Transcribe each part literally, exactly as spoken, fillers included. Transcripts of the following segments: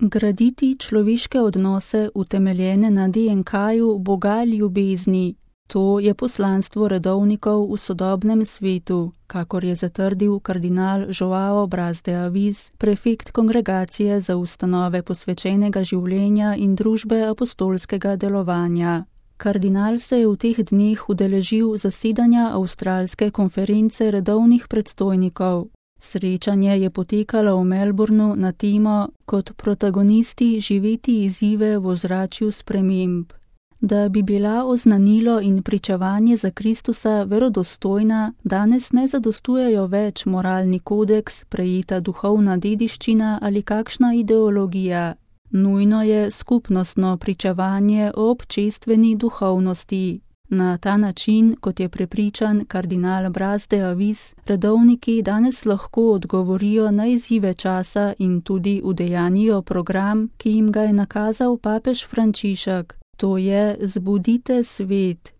Graditi človeške odnose utemeljene na D N K-ju Boga ljubezni. To je poslanstvo redovnikov v sodobnem svetu, kakor je zatrdil kardinal Joao Braz de Avis, prefekt Kongregacije za ustanove posvečenega življenja in družbe apostolskega delovanja. Kardinal se je v teh dneh udeležil zasedanja Avstralske konference redovnih predstojnikov. Srečanje je potekalo v Melbournu na temo Kot protagonisti živeti izzive v ozračju sprememb. Da bi bila oznanilo in pričevanje za Kristusa verodostojna, danes ne zadostujejo več moralni kodeks, prejeta duhovna dediščina ali kakšna ideologija. Nujno je skupnostno pričevanje o občestveni duhovnosti. Na ta način, kot je prepričan kardinal Braz de Avis, redovniki danes lahko odgovorijo na izzive časa in tudi udejanijo program, ki jim ga je nakazal papež Frančišek. To je Zbudite svet.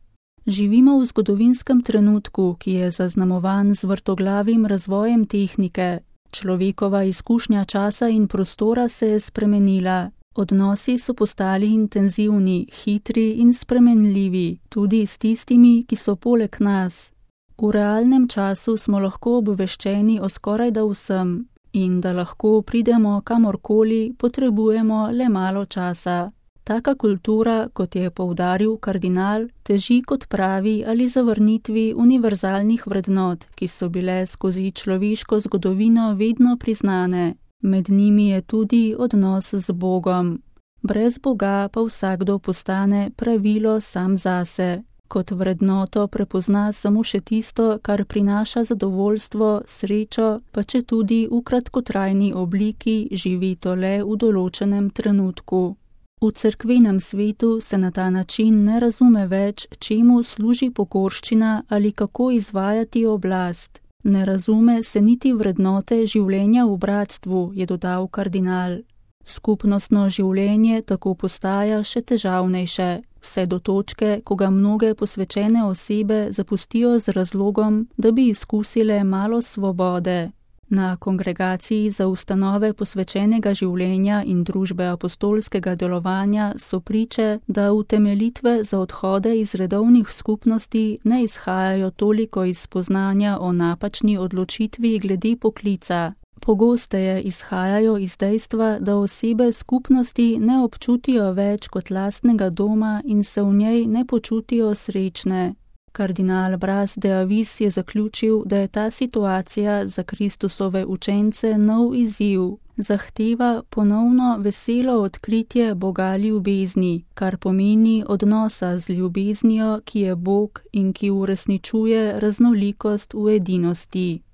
Živimo v zgodovinskem trenutku, ki je zaznamovan z vrtoglavim razvojem tehnike. Človekova izkušnja časa in prostora se je spremenila. Odnosi so postali intenzivni, hitri in spremenljivi, tudi s tistimi, ki so poleg nas. V realnem času smo lahko obveščeni o skorajda vsem in da lahko pridemo kamorkoli, potrebujemo le malo časa. Taka kultura, kot je poudaril kardinal, teži kot pravi ali zavrnitvi univerzalnih vrednot, ki so bile skozi človeško zgodovino vedno priznane. Med njimi je tudi odnos z Bogom. Brez Boga pa vsakdo postane pravilo sam zase. Kot vrednoto prepozna samo še tisto, kar prinaša zadovoljstvo, srečo, pa če tudi v kratkotrajni obliki živi to le v določenem trenutku. V cerkvenem svetu se na ta način ne razume več, čemu služi pokorščina ali kako izvajati oblast. Ne razume se niti vrednote življenja v bratstvu, je dodal kardinal. Skupnostno življenje tako postaja še težavnejše, vse do točke, ko ga mnoge posvečene osebe zapustijo z razlogom, da bi izkusile malo svobode. Na Kongregaciji za ustanove posvečenega življenja in družbe apostolskega delovanja so priče, da utemeljitve za odhode iz redovnih skupnosti ne izhajajo toliko iz spoznanja o napačni odločitvi glede poklica. Pogosteje izhajajo iz dejstva, da osebe skupnosti ne občutijo več kot lastnega doma in se v njej ne počutijo srečne. Kardinal Braz de Avis je zaključil, da je ta situacija za Kristusove učence nov izziv. Zahteva ponovno veselo odkritje Boga ljubezni, kar pomeni odnosa z ljubeznijo, ki je Bog in ki uresničuje raznolikost v edinosti.